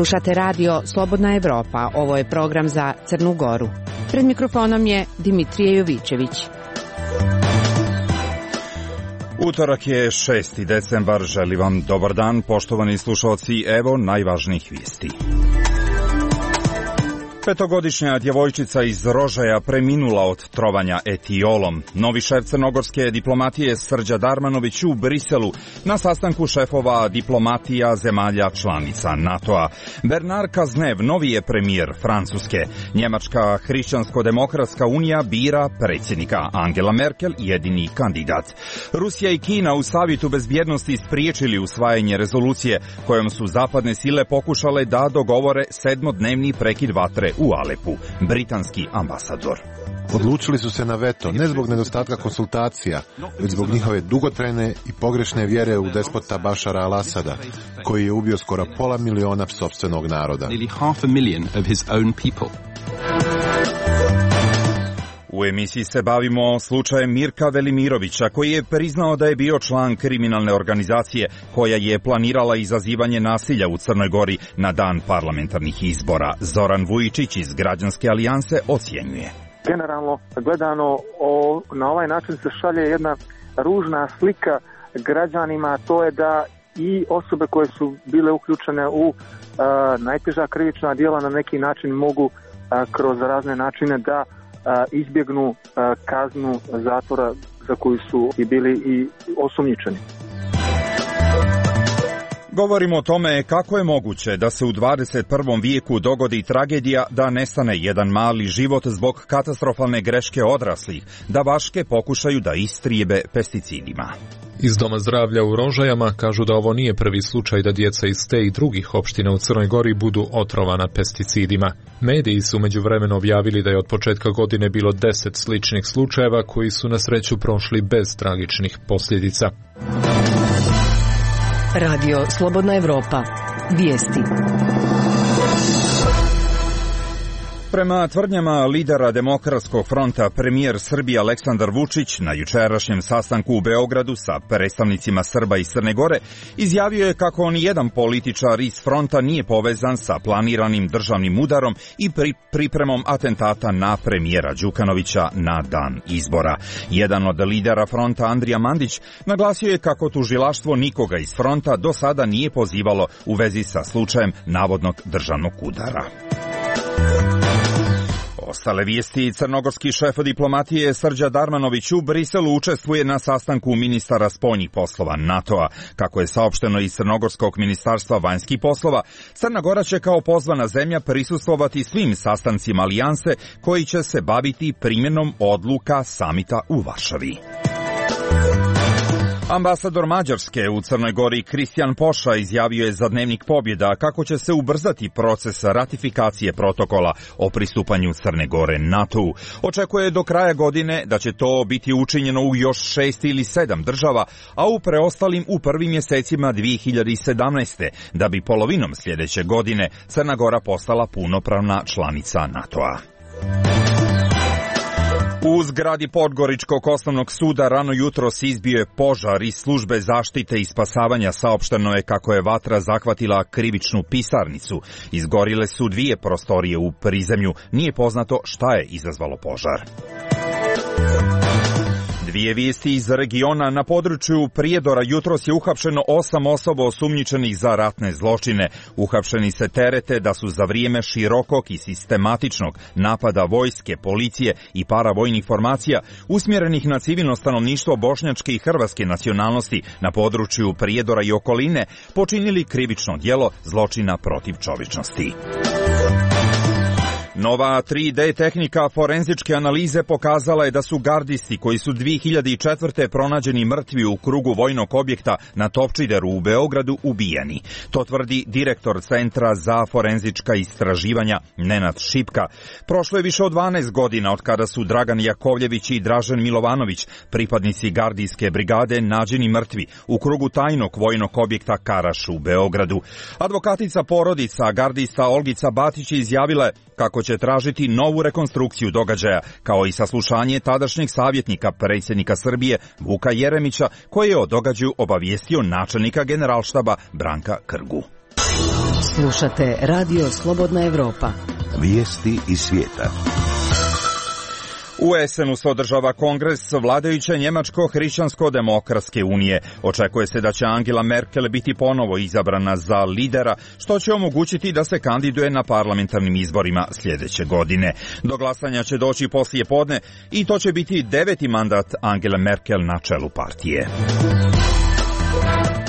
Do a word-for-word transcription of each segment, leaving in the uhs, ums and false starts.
Slušate radio Slobodna Evropa, ovo je program za Crnu Goru. Pred mikrofonom je Dimitrije Jovićević. Utorak je šesti decembar, želim vam dobar dan, poštovani slušalci, evo najvažnijih vijesti. Petogodišnja djevojčica iz Rožaja preminula od trovanja etiolom. Novi šef crnogorske diplomatije Srđa Darmanović u Briselu na sastanku šefova diplomatija zemalja članica NATO-a. Bernard Cazeneuve novi je premijer Francuske. Njemačka hrišćansko-demokratska unija bira predsjednika. Angela Merkel jedini kandidat. Rusija i Kina u Savjetu bezbjednosti spriječili usvajanje rezolucije kojom su zapadne sile pokušale da dogovore sedmodnevni prekid vatre u Alepu. Britanski ambasador. Odlučili su se na veto, ne zbog nedostatka konsultacija, već zbog njihove dugotrajne i pogrešne vjere u despota Bašara al-Asada, koji je ubio skoro pola miliona sopstvenog naroda. U emisiji se bavimo slučajem Mirka Velimirovića, koji je priznao da je bio član kriminalne organizacije koja je planirala izazivanje nasilja u Crnoj Gori na dan parlamentarnih izbora. Zoran Vujičić iz Građanske alijanse ocjenjuje. Generalno gledano, o, na ovaj način se šalje jedna ružna slika građanima, to je da i osobe koje su bile uključene u a, najteža krivična djela na neki način mogu a, kroz razne načine da a, izbjegnu a, kaznu zatvora za koju su i bili i osumnjičeni. Govorimo o tome kako je moguće da se u dvadeset prvom vijeku dogodi tragedija da nestane jedan mali život zbog katastrofalne greške odraslih, da vaške pokušaju da istrijebe pesticidima. Iz Doma zdravlja u Rožajama kažu da ovo nije prvi slučaj da djeca iz te i drugih opština u Crnoj Gori budu otrovana pesticidima. Mediji su međuvremeno objavili da je od početka godine bilo deset sličnih slučajeva koji su na sreću prošli bez tragičnih posljedica. Radio Slobodna Evropa. Vijesti. Prema tvrdnjama lidera Demokratskog fronta, premijer Srbije Aleksandar Vučić na jučerašnjem sastanku u Beogradu sa predstavnicima Srba iz Crne Gore izjavio je kako ni jedan političar iz fronta nije povezan sa planiranim državnim udarom i pri, pripremom atentata na premijera Đukanovića na dan izbora. Jedan od lidera fronta, Andrija Mandić, naglasio je kako tužilaštvo nikoga iz fronta do sada nije pozivalo u vezi sa slučajem navodnog državnog udara. Ostale vijesti. Crnogorski šef diplomatije Srđa Darmanović u Briselu učestvuje na sastanku ministara spoljnih poslova NATO-a. Kako je saopšteno iz Crnogorskog ministarstva vanjskih poslova, Crna Gora će kao pozvana zemlja prisustvovati svim sastancima alijanse koji će se baviti primjenom odluka samita u Varšavi. Ambasador Mađarske u Crnoj Gori Kristijan Poša izjavio je za Dnevnik Pobjeda kako će se ubrzati proces ratifikacije protokola o pristupanju Crne Gore NATO-u. Očekuje do kraja godine da će to biti učinjeno u još šest ili sedam država, a u preostalim u prvim mjesecima dvije hiljade sedamnaeste. da bi polovinom sljedeće godine Crna Gora postala punopravna članica NATO-a. U zgradi Podgoričkog osnovnog suda rano jutros izbio je požar iz službe zaštite i spasavanja. Saopšteno je kako je vatra zahvatila krivičnu pisarnicu. Izgorile su dvije prostorije u prizemlju. Nije poznato šta je izazvalo požar. Dvije vijesti iz regiona. Na području Prijedora jutros je uhapšeno osam osoba osumnjičenih za ratne zločine. Uhapšeni se terete da su za vrijeme širokog i sistematičnog napada vojske, policije i paravojnih formacija usmjerenih na civilno stanovništvo bošnjačke i hrvatske nacionalnosti na području Prijedora i okoline počinili krivično djelo zločina protiv čovječnosti. Nova tri D tehnika forenzičke analize pokazala je da su gardisti koji su dvije hiljade četvrte. pronađeni mrtvi u krugu vojnog objekta na Topčideru u Beogradu ubijeni. To tvrdi direktor Centra za forenzička istraživanja Nenad Šipka. Prošlo je više od dvanaest godina od kada su Dragan Jakovljević i Dražen Milovanović, pripadnici gardijske brigade, nađeni mrtvi u krugu tajnog vojnog objekta Karaš u Beogradu. Advokatica porodica gardista Olgica Batić izjavila je kako će tražiti novu rekonstrukciju događaja, kao i saslušanje tadašnjeg savjetnika predsjednika Srbije Vuka Jeremića, koji je o događaju obavijestio načelnika generalštaba Branka Krgu. Slušate Radio Slobodna Evropa. Vijesti iz svijeta. U Esenu se održava kongres vladajuće Njemačko-hrišćansko-demokratske unije. Očekuje se da će Angela Merkel biti ponovo izabrana za lidera, što će omogućiti da se kandiduje na parlamentarnim izborima sljedeće godine. Do glasanja će doći poslije podne i to će biti deveti mandat Angele Merkel na čelu partije.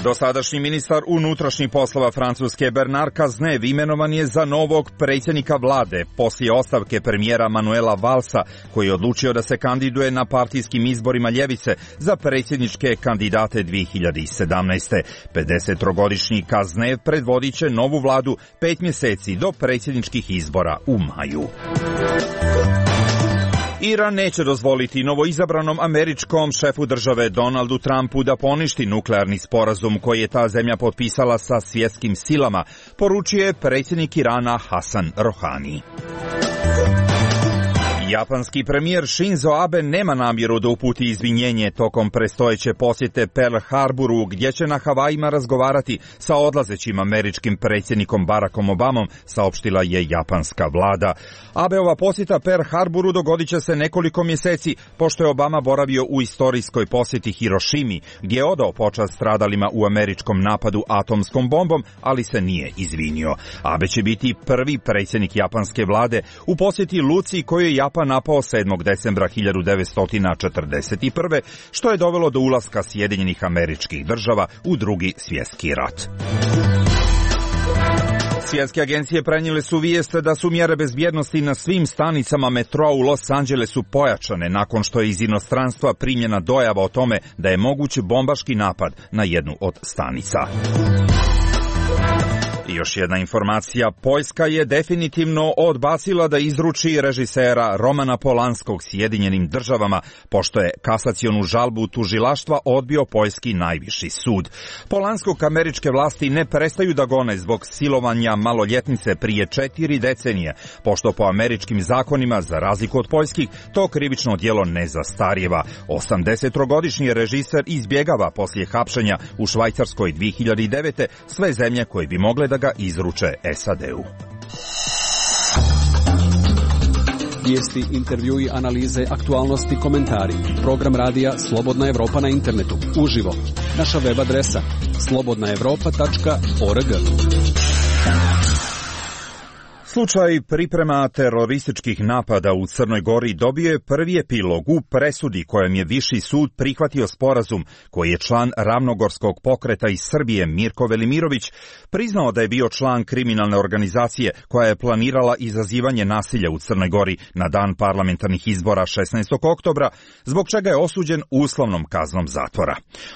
Dosadašnji ministar unutrašnjih poslova Francuske Bernard Cazeneuve imenovan je za novog predsjednika vlade poslije ostavke premijera Manuela Vallsa, koji je odlučio da se kandiduje na partijskim izborima ljevice za predsjedničke kandidate dvije hiljade sedamnaeste. pedesettrogodišnji Cazeneuve predvodit će novu vladu pet mjeseci do predsjedničkih izbora u maju. Iran neće dozvoliti novoizabranom američkom šefu države Donaldu Trumpu da poništi nuklearni sporazum koji je ta zemlja potpisala sa svjetskim silama, poručuje predsjednik Irana Hasan Rohani. Japanski premijer Shinzo Abe nema namjeru da uputi izvinjenje tokom predstojeće posjete Pearl Harboru, gdje će na Havajima razgovarati sa odlazećim američkim predsjednikom Barackom Obamom, saopštila je japanska vlada. Abeova posjeta Pearl Harboru dogodit će se nekoliko mjeseci, pošto je Obama boravio u istorijskoj posjeti Hirošimi, gdje je odao počast stradalima u američkom napadu atomskom bombom, ali se nije izvinio. Abe će biti prvi predsjednik japanske vlade u posjeti Luci, koju je Japan napao sedmog decembra hiljadu devetsto četrdeset prve. što je dovelo do ulaska Sjedinjenih Američkih Država u Drugi svjetski rat. Svjetske agencije prenijele su vijest da su mjere bezbjednosti na svim stanicama metroa u Los Angelesu pojačane nakon što je iz inostranstva primljena dojava o tome da je moguć bombaški napad na jednu od stanica. I još jedna informacija, Poljska je definitivno odbacila da izruči režisera Romana Polanskog Sjedinjenim Državama, pošto je kasacionu žalbu tužilaštva odbio poljski najviši sud. Polanskog američke vlasti ne prestaju da gone zbog silovanja maloljetnice prije četiri decenije, pošto po američkim zakonima, za razliku od poljskih, to krivično djelo ne zastarijeva. osamdesettrogodišnji režiser izbjegava poslije hapšenja u Švajcarskoj dvije hiljade devete sve zemlje koje bi mogle da ga izruče S A D-u. Vijesti, intervjui, analize, aktualnosti, komentari. Program radija Slobodna Evropa na internetu. Uživo. Naša web adresa slobodna evropa tačka org. Slučaj priprema terorističkih napada u Crnoj Gori dobio je prvi epilog u presudi kojem je Viši sud prihvatio sporazum koji je član Ravnogorskog pokreta iz Srbije Mirko Velimirović priznao da je bio član kriminalne organizacije koja je planirala izazivanje nasilja u Crnoj Gori na dan parlamentarnih izbora šesnaestog oktobra, zbog čega je osuđen uslovnom kaznom zatvora.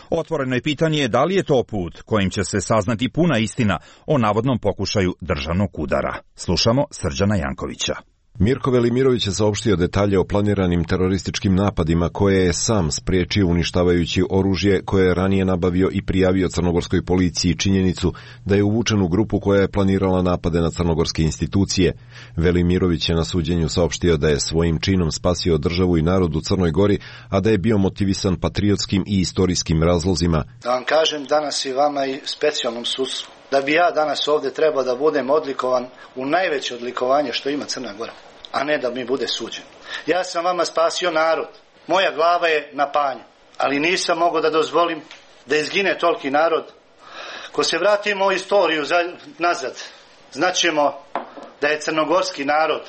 Otvoreno je pitanje da li je to put kojim će se saznati puna istina o navodnom pokušaju državnog udara. Slušamo Srđana Jankovića. Mirko Velimirović je saopštio detalje o planiranim terorističkim napadima koje je sam spriječio uništavajući oružje koje je ranije nabavio i prijavio crnogorskoj policiji činjenicu da je uvučen u grupu koja je planirala napade na crnogorske institucije. Velimirović je na suđenju saopštio da je svojim činom spasio državu i narod u Crnoj Gori, a da je bio motivisan patriotskim i istorijskim razlozima. Da vam kažem danas i vama i specijalnom sudstvu, da bi ja danas ovdje trebao da budem odlikovan u najveće odlikovanje što ima Crna Gora, a ne da mi bude suđen. Ja sam vama spasio narod, moja glava je na panju, ali nisam mogao da dozvolim da izgine toliki narod. Ko se vratimo u istoriju za, nazad, znaćemo da je crnogorski narod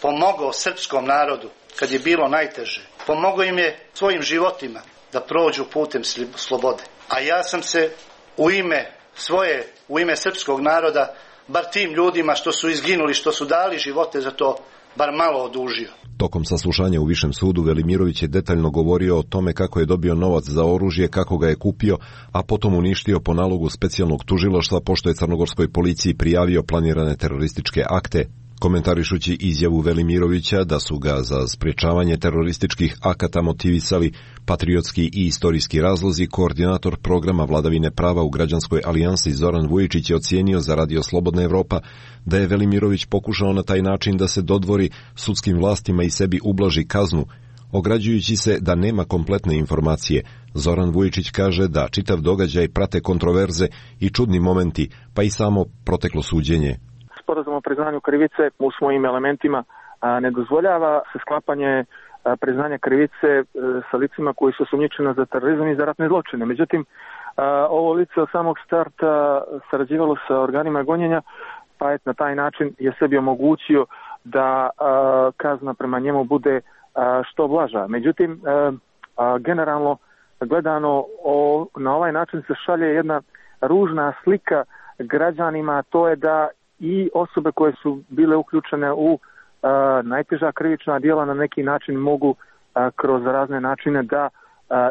pomogao srpskom narodu kad je bilo najteže. Pomogao im je svojim životima da prođu putem slobode. A ja sam se u ime svoje, u ime srpskog naroda, bar tim ljudima što su izginuli, što su dali živote za to, bar malo odužio. Tokom saslušanja u Višem sudu Velimirović je detaljno govorio o tome kako je dobio novac za oružje, kako ga je kupio, a potom uništio po nalogu specijalnog tužilaštva pošto je crnogorskoj policiji prijavio planirane terorističke akte. Komentarišući izjavu Velimirovića da su ga za sprječavanje terorističkih akata motivisali patriotski i istorijski razlozi, koordinator programa vladavine prava u Građanskoj alijansi Zoran Vujičić je ocijenio za Radio Slobodna Evropa da je Velimirović pokušao na taj način da se dodvori sudskim vlastima i sebi ublaži kaznu. Ograđujući se da nema kompletne informacije, Zoran Vujičić kaže da čitav događaj prate kontroverze i čudni momenti, pa i samo proteklo suđenje. Sporazum o priznanju krivice u svojim elementima ne dozvoljava se sklapanje priznanja krivice sa licima koji su osumnjičeni za terorizam i za ratne zločine. Međutim, ovo lice od samog starta sarađivalo sa organima gonjenja, pa je na taj način je sebi omogućio da kazna prema njemu bude što blaža. Međutim, generalno gledano na ovaj način se šalje jedna ružna slika građanima, to je da i osobe koje su bile uključene u najteža krivična djela na neki način mogu kroz razne načine da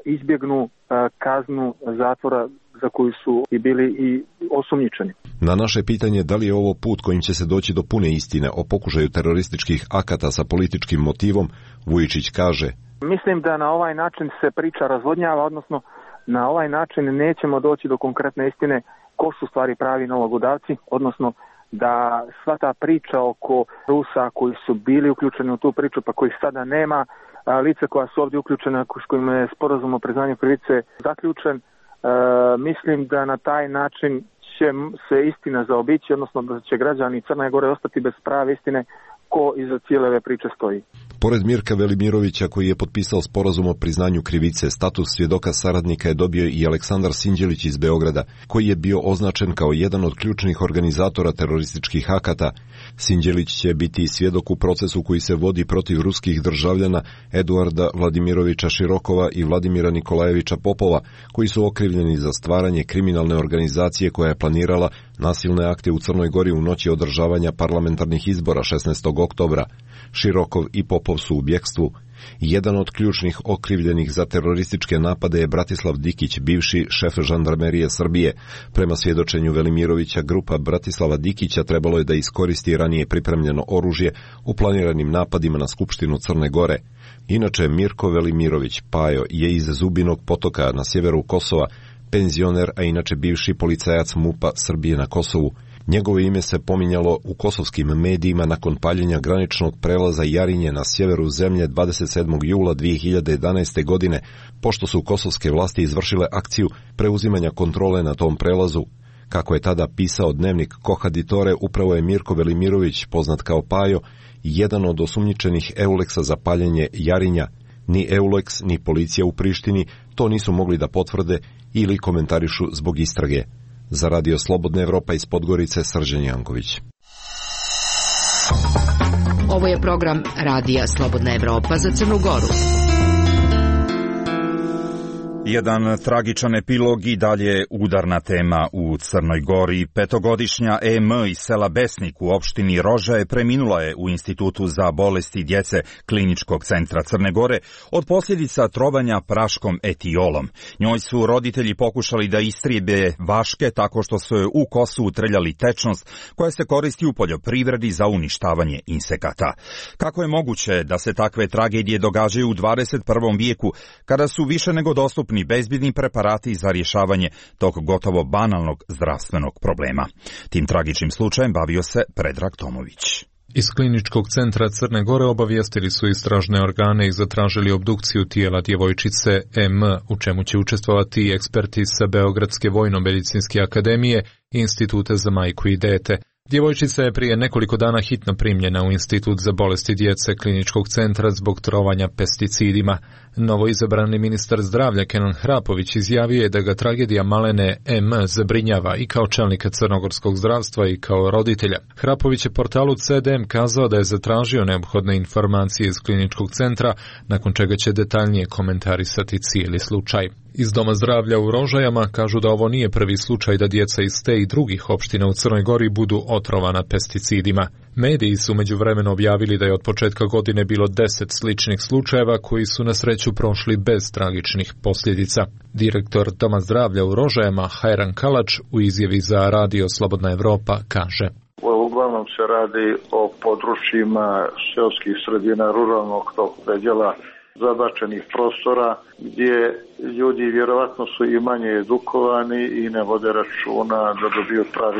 izbjegnu kaznu zatvora za koju su i bili i osumnjičeni. Na naše pitanje da li je ovo put kojim će se doći do pune istine o pokušaju terorističkih akata sa političkim motivom, Vujičić kaže: Mislim da na ovaj način se priča razvodnjava, odnosno na ovaj način nećemo doći do konkretne istine ko su stvari pravi nalogodavci, odnosno da sva ta priča oko Rusa koji su bili uključeni u tu priču pa kojih sada nema, lice koja su ovdje uključena s kojima je sporazum o priznanju krivice zaključen, e, mislim da na taj način će se istina zaobići, odnosno da će građani Crne Gore ostati bez prave istine ko iza cijele ove priče stoji. Pored Mirka Velimirovića, koji je potpisao sporazum o priznanju krivice, status svjedoka saradnika je dobio i Aleksandar Sinđelić iz Beograda, koji je bio označen kao jedan od ključnih organizatora terorističkih akata. Sinđelić će biti svjedok u procesu koji se vodi protiv ruskih državljana Eduarda Vladimirovića Širokova i Vladimira Nikolajevića Popova, koji su okrivljeni za stvaranje kriminalne organizacije koja je planirala nasilne akte u Crnoj Gori u noći održavanja parlamentarnih izbora šesnaestog oktobra. Širokov i Popov su u bjekstvu. Jedan od ključnih okrivljenih za terorističke napade je Bratislav Dikić, bivši šef žandarmerije Srbije. Prema svjedočenju Velimirovića, grupa Bratislava Dikića trebalo je da iskoristi ranije pripremljeno oružje u planiranim napadima na Skupštinu Crne Gore. Inače, Mirko Velimirović, Pajo, je iz Zubinog Potoka na sjeveru Kosova, penzioner, a inače bivši policajac MUP-a Srbije na Kosovu. Njegovo ime se pominjalo u kosovskim medijima nakon paljenja graničnog prelaza Jarinje na sjeveru zemlje dvadeset sedmog jula dvije hiljade jedanaeste. godine, pošto su kosovske vlasti izvršile akciju preuzimanja kontrole na tom prelazu. Kako je tada pisao dnevnik Kohaditore, upravo je Mirko Velimirović, poznat kao Pajo, jedan od osumnjičenih Euleksa za paljenje Jarinja. Ni Euleks, ni policija u Prištini to nisu mogli da potvrde ili komentarišu zbog istrage. Za Radio Slobodna Evropa iz Podgorice, Srđan Janković. Ovo je program Radija Slobodna Evropa za Crnu Goru. Jedan tragičan epilog i dalje udarna tema u Crnoj Gori. Petogodišnja E M iz sela Besnik u opštini Rožaje preminula je u Institutu za bolesti djece Kliničkog centra Crne Gore od posljedica trovanja praškom etiolom. Njoj su roditelji pokušali da istrijebe vaške tako što su joj u kosu utreljali tečnost koja se koristi u poljoprivredi za uništavanje insekata. Kako je moguće da se takve tragedije događaju u dvadeset prvom vijeku kada su više nego dostupni bezbjedni preparati za rješavanje tog gotovo banalnog zdravstvenog problema? Tim tragičnim slučajem bavio se Predrag Tomović. Iz Kliničkog centra Crne Gore obavijestili su istražne organe i zatražili obdukciju tijela djevojčice M, u čemu će učestvovati eksperti sa Beogradske vojno-medicinske akademije i Instituta za majku i dete. Djevojčica je prije nekoliko dana hitno primljena u Institut za bolesti djece Kliničkog centra zbog trovanja pesticidima. Novoizabrani ministar zdravlja Kenan Hrapović izjavio je da ga tragedija malene M zabrinjava i kao čelnika crnogorskog zdravstva i kao roditelja. Hrapović je portalu C D M kazao da je zatražio neophodne informacije iz Kliničkog centra, nakon čega će detaljnije komentarisati cijeli slučaj. Iz Doma zdravlja u Rožajama kažu da ovo nije prvi slučaj da djeca iz te i drugih opština u Crnoj Gori budu otrovana pesticidima. Mediji su međuvremeno objavili da je od početka godine bilo deset sličnih slučajeva koji su na sreću prošli bez tragičnih posljedica. Direktor Doma zdravlja u Rožajama Hajran Kalač u izjavi za Radio Slobodna Evropa kaže: Uglavnom se radi o područjima seoskih sredina, ruralnog tog predjela, zabačenih prostora gdje ljudi vjerovatno su i manje edukovani i ne vode računa da dobiju prave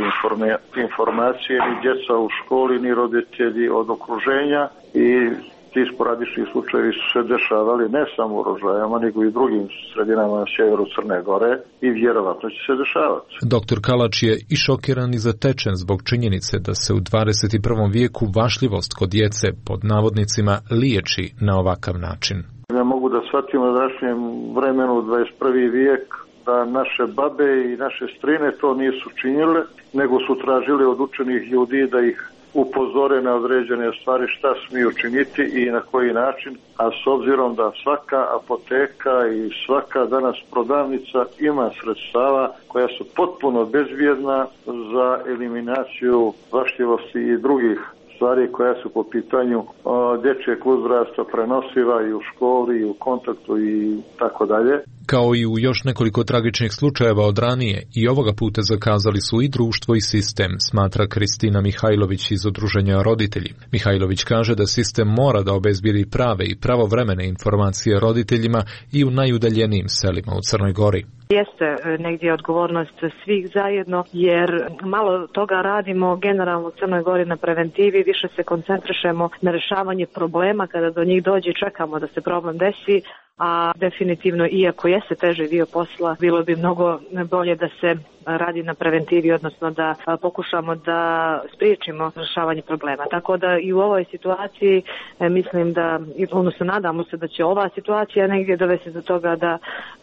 informacije, ni djeca u školi, ni roditelji od okruženja, i ti sporadični slučajevi su se dešavali ne samo u Rožajama, nego i drugim sredinama na sjeveru Crne Gore i vjerovatno će se dešavati. Doktor Kalač je i šokiran i zatečen zbog činjenice da se u dvadeset prvom vijeku vašljivost kod djece pod navodnicima liječi na ovakav način. Ne mogu da shvatim u današnjem vremenu dvadeset prvi vijek da naše babe i naše strine to nisu činile, nego su tražili od učenih ljudi da ih upozore na određene stvari šta smiju činiti i na koji način, a s obzirom da svaka apoteka i svaka danas prodavnica ima sredstava koja su potpuno bezbjedna za eliminaciju vašljivosti i drugih stvari koja su po pitanju dječjeg uzrasta prenosiva i u školi i u kontaktu i tako dalje. Kao i u još nekoliko tragičnih slučajeva od ranije, i ovoga puta zakazali su i društvo i sistem, smatra Kristina Mihajlović iz Udruženja Roditelji. Mihajlović kaže da sistem mora da obezbijedi prave i pravovremene informacije roditeljima i u najudaljenijim selima u Crnoj Gori. Jeste negdje odgovornost svih zajedno, jer malo toga radimo generalno u Crnoj Gori na preventivi, više se koncentrišemo na rješavanje problema kada do njih dođe i čekamo da se problem desi, a definitivno, iako jeste teži dio posla, bilo bi mnogo bolje da se radi na preventivi, odnosno da pokušamo da spriječimo rješavanje problema. Tako da i u ovoj situaciji mislim da, odnosno nadamo se da će ova situacija negdje dovesti do toga da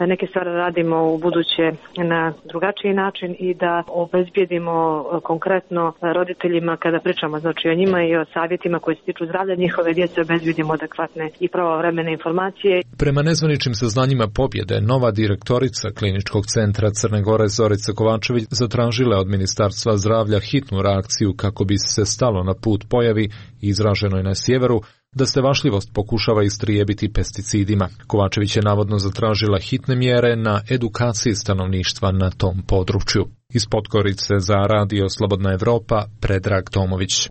neke stvari radimo u buduće na drugačiji način i da obezbijedimo konkretno roditeljima, kada pričamo znači o njima i o savjetima koji se tiču zdravlja njihove djece, obezbijedimo adekvatne i pravovremene informacije. Prema nezvaničnim saznanjima pobjede, nova direktorica Kliničkog centra Crne Gore Zorica Kovačević zatražila od Ministarstva zdravlja hitnu reakciju kako bi se stalo na put pojavi izraženoj na sjeveru da se vašljivost pokušava istrijebiti pesticidima. Kovačević je navodno zatražila hitne mjere na edukaciji stanovništva na tom području. Iz Podgorice za Radio Slobodna Evropa, Predrag Tomović.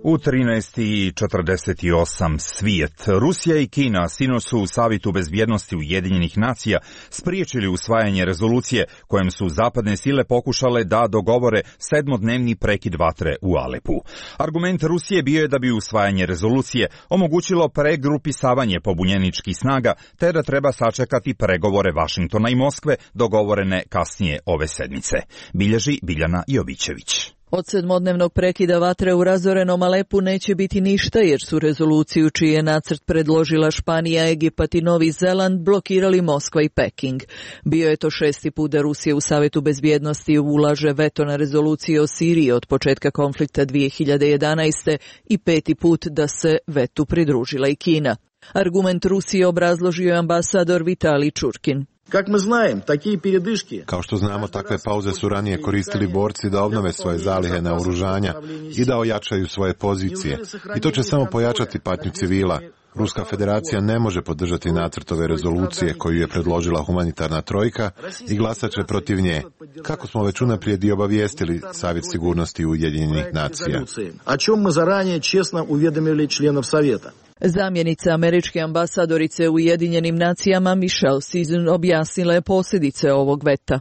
U trinaest i četrdeset osam svijet. Rusija i Kina sinoć su u Savetu bezbjednosti Ujedinjenih nacija spriječili usvajanje rezolucije kojem su zapadne sile pokušale da dogovore sedmodnevni prekid vatre u Alepu. Argument Rusije bio je da bi usvajanje rezolucije omogućilo pregrupisavanje pobunjeničkih snaga, te da treba sačekati pregovore Vašingtona i Moskve dogovorene kasnije ove sedmice. Bilježi Biljana Jovićević. Od sedmodnevnog prekida vatre u razorenom Alepu neće biti ništa, jer su rezoluciju čiji je nacrt predložila Španija, Egipat i Novi Zeland blokirali Moskva i Peking. Bio je to šesti put da Rusija u Savetu bezbjednosti ulaže veto na rezoluciju o Siriji od početka konflikta dvije hiljade jedanaeste. i peti put da se vetu pridružila i Kina. Argument Rusije obrazložio je ambasador Vitalij Čurkin. Kao što znamo, takve pauze su ranije koristili borci da obnove svoje zalihe naoružanja i da ojačaju svoje pozicije. I to će samo pojačati patnju civila. Ruska federacija ne može podržati nacrt ove rezolucije koju je predložila humanitarna trojka i glasat će protiv nje, kako smo već unaprijed i obavijestili Savjet sigurnosti Ujedinjenih nacija. Zamjenica američke ambasadorice u Ujedinjenim nacijama Michelle Season objasnila je posljedice ovog veta.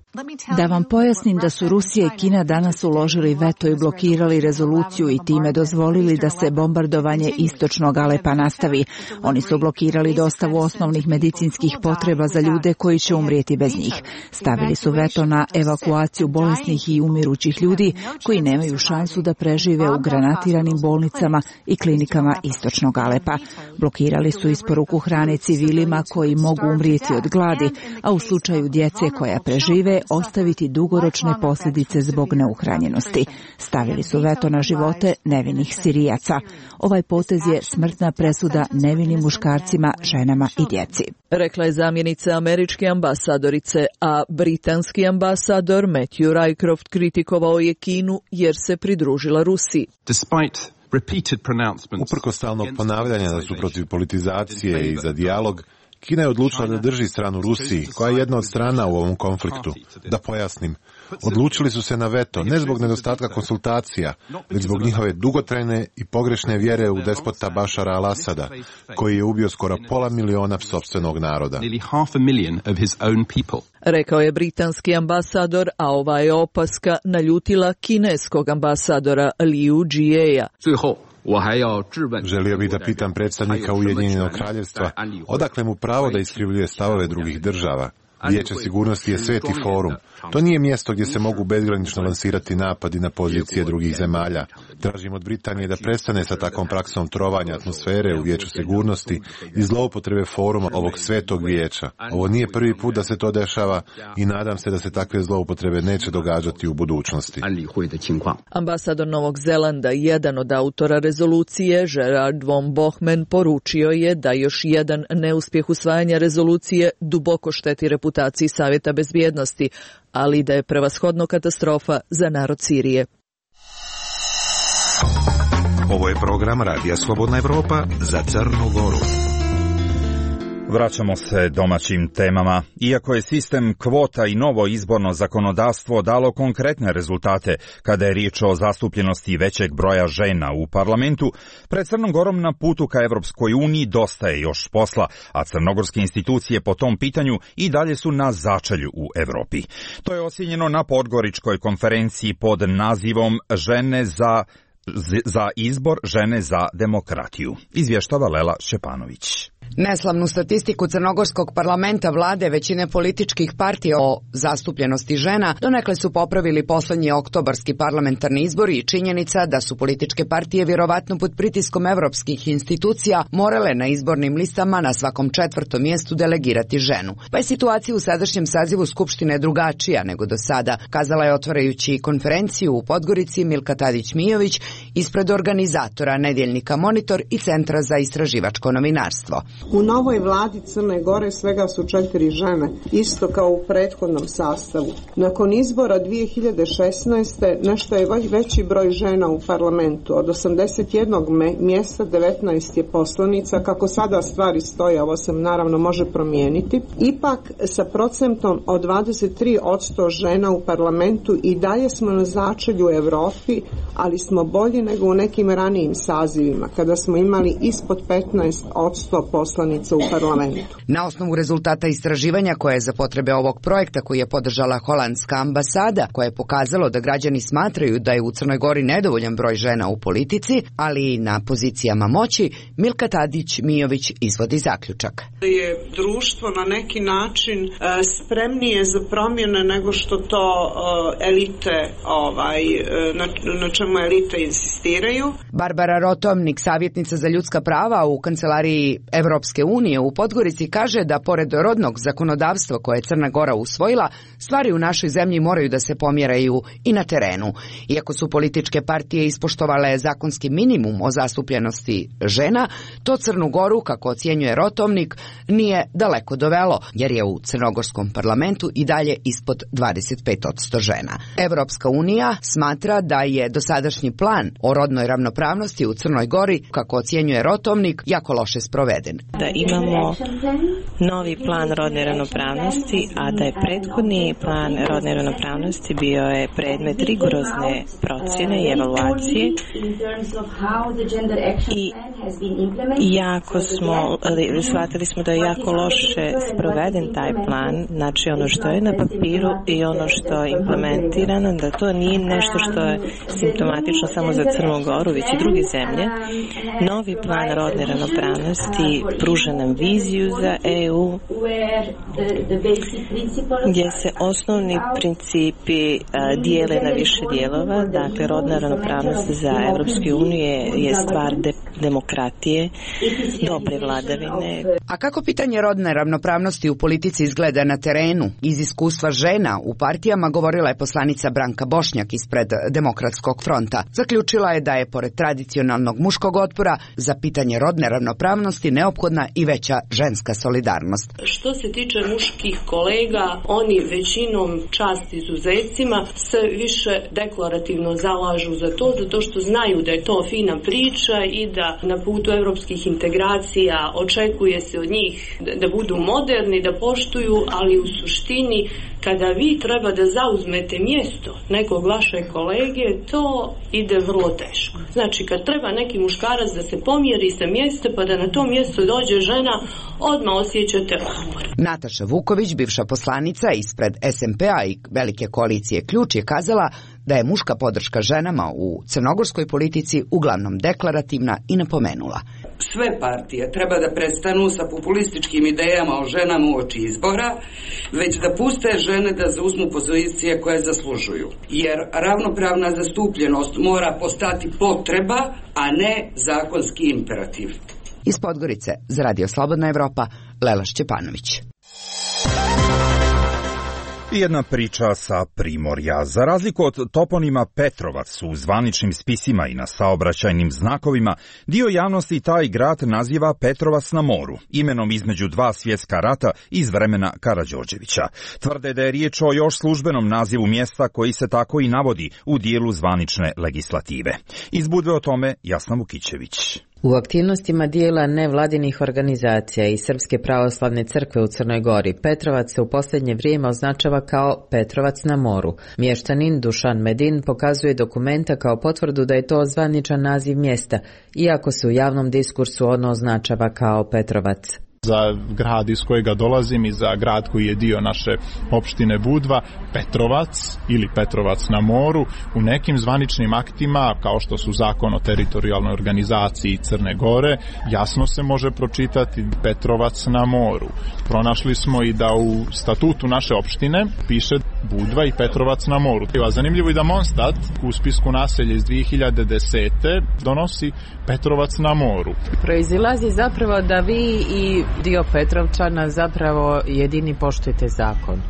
Da vam pojasnim da su Rusija i Kina danas uložili veto i blokirali rezoluciju i time dozvolili da se bombardovanje istočnog Alepa nastavi. Oni su blokirali dostavu osnovnih medicinskih potreba za ljude koji će umrijeti bez njih. Stavili su veto na evakuaciju bolesnih i umirućih ljudi koji nemaju šansu da prežive u granatiranim bolnicama i klinikama istočnog Alepa. Blokirali su isporuku hrane civilima koji mogu umrijeti od gladi, a u slučaju djece koja prežive ostaviti dugoročne posljedice zbog neuhranjenosti. Stavili su veto na živote nevinih Sirijaca. Ovaj potez je smrtna presuda nevinim muškarcima, ženama i djeci. Rekla je zamjenica američke ambasadorice, a britanski ambasador Matthew Rycroft kritikovao je Kinu jer se pridružila Rusiji. Uprkos stalnog ponavljanja da su protiv politizacije i za dijalog, Kina je odlučila da drži stranu Rusiji, koja je jedna od strana u ovom konfliktu. Da pojasnim, Odlučili su se na veto, ne zbog nedostatka konsultacija, već zbog njihove dugotrajne i pogrešne vjere u despota Bašara al-Asada, koji je ubio skoro pola miliona sopstvenog naroda. Rekao je britanski ambasador, a ova je opaska naljutila kineskog ambasadora Liu Jieja. Želio bih da pitam predstavnika Ujedinjenog kraljevstva odakle mu pravo da iskrivljuje stavove drugih država. Vijeće sigurnosti je sveti forum. To nije mjesto gdje se mogu bezgranično lansirati napadi na pozicije drugih zemalja. Tražim od Britanije da prestane sa takvom praksom trovanja atmosfere u Vijeću sigurnosti i zloupotrebe foruma ovog svetog vijeća. Ovo nije prvi put da se to dešava i nadam se da se takve zloupotrebe neće događati u budućnosti. Ambasador Novog Zelanda, jedan od autora rezolucije, Gerard von Bohmen, poručio je da još jedan neuspjeh usvajanja rezolucije duboko šteti reputaciji Savjeta bezbjednosti, ali da je prevashodno katastrofa za narod Sirije. Ovo je program Radija Slobodna Evropa za Crnu Goru. Vraćamo se domaćim temama. Iako je sistem kvota i novo izborno zakonodavstvo dalo konkretne rezultate kada je riječ o zastupljenosti većeg broja žena u parlamentu, pred Crnom Gorom na putu ka Evropskoj uniji dosta je još posla, a crnogorske institucije po tom pitanju i dalje su na začelju u Evropi. To je ocijenjeno na Podgoričkoj konferenciji pod nazivom Žene za za izbor, žene za demokratiju. Izvještava Lela Šćepanović. Neslavnu statistiku crnogorskog parlamenta, vlade, većine političkih partija o zastupljenosti žena donekle su popravili posljednji oktobarski parlamentarni izbori i činjenica da su političke partije vjerovatno pod pritiskom evropskih institucija morale na izbornim listama na svakom četvrtom mjestu delegirati ženu. Pa je situacija u sadašnjem sazivu Skupštine drugačija nego do sada, kazala je otvarajući konferenciju u Podgorici Milka Tadić-Mijović ispred organizatora nedjeljnika Monitor i Centra za istraživačko novinarstvo. U novoj vladi Crne Gore svega su četiri žene, isto kao u prethodnom sastavu. Nakon izbora dvije hiljade šesnaeste nešto je veći broj žena u parlamentu. Od osamdeset jednog mjesta devetnaest je poslanica. Kako sada stvari stoje, ovo se naravno može promijeniti. Ipak sa procentom od dvadeset tri posto žena u parlamentu i dalje smo na začelju u Evropi, ali smo bolji nego u nekim ranijim sazivima, kada smo imali ispod petnaest posto poslanica u parlamentu. Na osnovu rezultata istraživanja koje je za potrebe ovog projekta koji je podržala holandska ambasada, koje je pokazalo da građani smatraju da je u Crnoj Gori nedovoljan broj žena u politici, ali i na pozicijama moći, Milka Tadić-Mijović izvodi zaključak. Je društvo na neki način uh, spremnije za promjene nego što to uh, elite, ovaj, na, na čemu elite insistiraju. Barbara Rotomnik, savjetnica za ljudska prava u kancelariji Evropske unije u Podgorici, kaže da pored rodnog zakonodavstva koje je Crna Gora usvojila, stvari u našoj zemlji moraju da se pomjeraju i na terenu. Iako su političke partije ispoštovale zakonski minimum o zastupljenosti žena, to Crnu Goru, kako ocjenjuje Rotomnik, nije daleko dovelo, jer je u crnogorskom parlamentu i dalje ispod dvadeset pet posto žena. Evropska unija smatra da je dosadašnji plan o rodnoj ravnopravnosti u Crnoj Gori, kako ocjenjuje Rotomnik, jako loše sproveden. Da imamo novi plan rodne ravnopravnosti, a da je prethodni plan rodne ravnopravnosti bio je predmet rigorozne procjene i evaluacije i jako smo, shvatili smo da je jako loše sproveden taj plan, znači ono što je na papiru i ono što je implementirano, da to nije nešto što je simptomatično samo za Crnu Goru, već i druge zemlje. Novi plan rodne ravnopravnosti pruža nam viziju za E U gdje se osnovni principi uh, dijele na više dijelova. Dakle, rodna ravnopravnost za Evropsku uniju je, je stvar de, demokratije, dobre vladavine. A kako pitanje rodne ravnopravnosti u politici izgleda na terenu? Iz iskustva žena u partijama govorila je poslanica Branka Bošnjak ispred Demokratskog fronta. Zaključila je da je pored tradicionalnog muškog otpora za pitanje rodne ravnopravnosti neophodna i veća ženska solidarnost. Što se tiče muških kolega, oni većinom, čast izuzecima, se više deklarativno zalažu za to, zato što znaju da je to fina priča i da na putu evropskih integracija očekuje se od njih da budu moderni, da poštuju, ali u suštini kada vi treba da zauzmete mjesto nekog vašeg kolege, to ide vrlo teško. Znači, kad treba neki muškarac da se pomjeri sa mjesta pa da na to mjesto dođe žena, odmah osjećate otpor. Nataša Vuković, bivša poslanica ispred es em pe a i velike koalicije Ključ, je kazala da je muška podrška ženama u crnogorskoj politici uglavnom deklarativna i napomenula: sve partije treba da prestanu sa populističkim idejama o ženama uoči izbora, već da puste žene da zauzmu pozicije koje zaslužuju. Jer ravnopravna zastupljenost mora postati potreba, a ne zakonski imperativ. Iz Podgorice za Radio Slobodna Evropa, Lela Šćepanović. I jedna priča sa Primorja. Za razliku od toponima Petrovac u zvaničnim spisima i na saobraćajnim znakovima, dio javnosti taj grad naziva Petrovac na moru, imenom između dva svjetska rata iz vremena Karađorđevića. Tvrde da je riječ o još službenom nazivu mjesta koji se tako i navodi u dijelu zvanične legislative. Iz Budve o tome Jasna Vukićević. U aktivnostima dijela nevladinih organizacija i Srpske pravoslavne crkve u Crnoj Gori, Petrovac se u posljednje vrijeme označava kao Petrovac na moru. Mještanin Dušan Medin pokazuje dokumenta kao potvrdu da je to zvaničan naziv mjesta, iako se u javnom diskursu ono označava kao Petrovac. Za grad iz kojega dolazim i za grad koji je dio naše opštine Budva, Petrovac ili Petrovac na moru, u nekim zvaničnim aktima, kao što su Zakon o teritorijalnoj organizaciji Crne Gore, jasno se može pročitati Petrovac na moru. Pronašli smo i da u statutu naše opštine piše Budva i Petrovac na moru. A zanimljivo je da Monstat u spisku naselja iz dvije hiljade desete donosi Petrovac na moru. Proizilazi zapravo da vi i dio Petrovčana zapravo jedini poštujete zakon.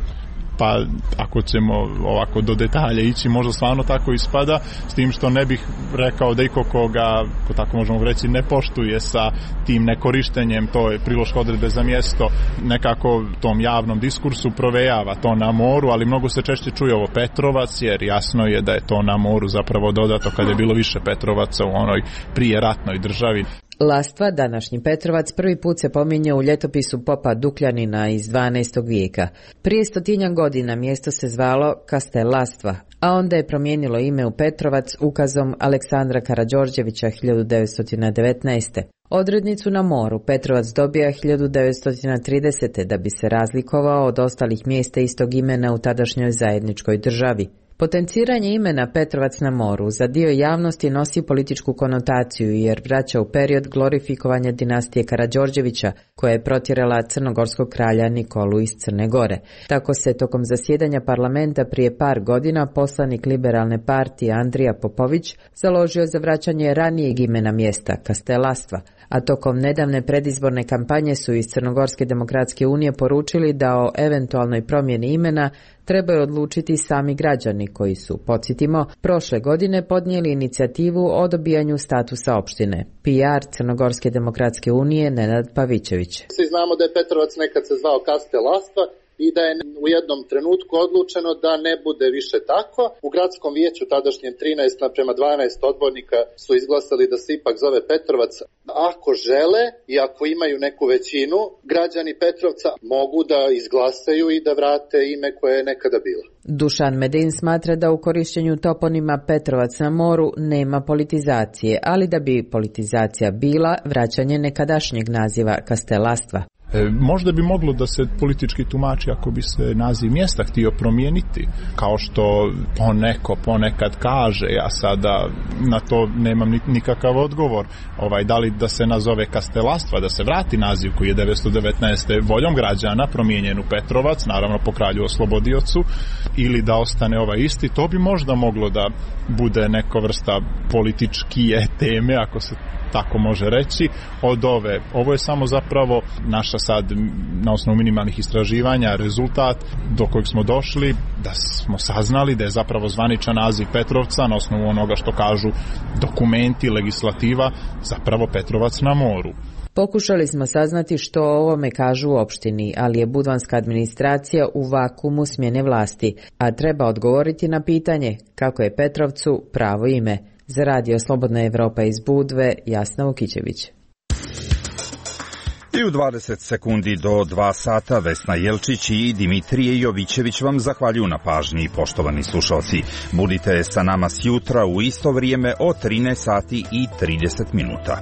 Pa ako ćemo ovako do detalja ići, možda stvarno tako ispada, s tim što ne bih rekao da iko koga, ko tako možemo reći, ne poštuje sa tim nekorištenjem, to je priloške odredbe za mjesto, nekako tom javnom diskursu provejava to na moru, ali mnogo se češće čuje ovo Petrovac, jer jasno je da je to na moru zapravo dodato kad je bilo više Petrovaca u onoj prije ratnoj državi. Lastva, današnji Petrovac, prvi put se pominje u ljetopisu popa Dukljanina iz dvanaestog vijeka. Prije stotinjak godina mjesto se zvalo Kastel Lastva, a onda je promijenilo ime u Petrovac ukazom Aleksandra Karađorđevića hiljadu devetsto devetnaeste. Odrednicu na moru Petrovac dobija hiljadu devetsto tridesete da bi se razlikovao od ostalih mjesta istog imena u tadašnjoj zajedničkoj državi. Potenciranje imena Petrovac na moru za dio javnosti nosi političku konotaciju jer vraća u period glorifikovanja dinastije Karađorđevića koja je protjerala crnogorskog kralja Nikolu iz Crne Gore. Tako se tokom zasjedanja parlamenta prije par godina poslanik liberalne partije Andrija Popović založio za vraćanje ranijeg imena mjesta, Kastelastva, a tokom nedavne predizborne kampanje su iz Crnogorske demokratske unije poručili da o eventualnoj promjeni imena trebaju odlučiti sami građani koji su, podsjetimo, prošle godine podnijeli inicijativu o dobijanju statusa opštine. P R Crnogorske demokratske unije Nenad Pavićević. Svi znamo da je Petrovac nekad se zvao Kastelastva i da je u jednom trenutku odlučeno da ne bude više tako. U gradskom vijeću tadašnjem trinaest naprema dvanaest odbornika su izglasali da se ipak zove Petrovac. Ako žele i ako imaju neku većinu, građani Petrovca mogu da izglasaju i da vrate ime koje je nekada bilo. Dušan Medin smatra da u korištenju toponima Petrovac na moru nema politizacije, ali da bi politizacija bila vraćanje nekadašnjeg naziva Kastelastva. E, možda bi moglo da se politički tumači ako bi se naziv mjesta htio promijeniti, kao što poneko ponekad kaže, ja sada na to nemam nikakav odgovor, ovaj, da li da se nazove Kastelastva, da se vrati naziv koji je devetsto devetnaeste voljom građana promijenjen u Petrovac, naravno po kralju oslobodiocu, ili da ostane ovaj isti, to bi možda moglo da bude neka vrsta političkije teme, ako se tako može reći, od ove. Ovo je samo zapravo naša sad, na osnovu minimalnih istraživanja, rezultat do kojeg smo došli, da smo saznali da je zapravo zvaničan naziv Petrovca, na osnovu onoga što kažu dokumenti, legislativa, zapravo Petrovac na moru. Pokušali smo saznati što o ovome kažu u opštini, ali je budvanska administracija u vakumu smjene vlasti, a treba odgovoriti na pitanje kako je Petrovcu pravo ime. Za Radio Slobodna Evropa iz Budve, Jasna Vukićević. I u dvadeset sekundi do dva sata Vesna Jelčić i Dimitrije Jovićević vam zahvaljuju na pažnji, poštovani slušalci. Budite sa nama sjutra u isto vrijeme od trinaest sati i trideset minuta.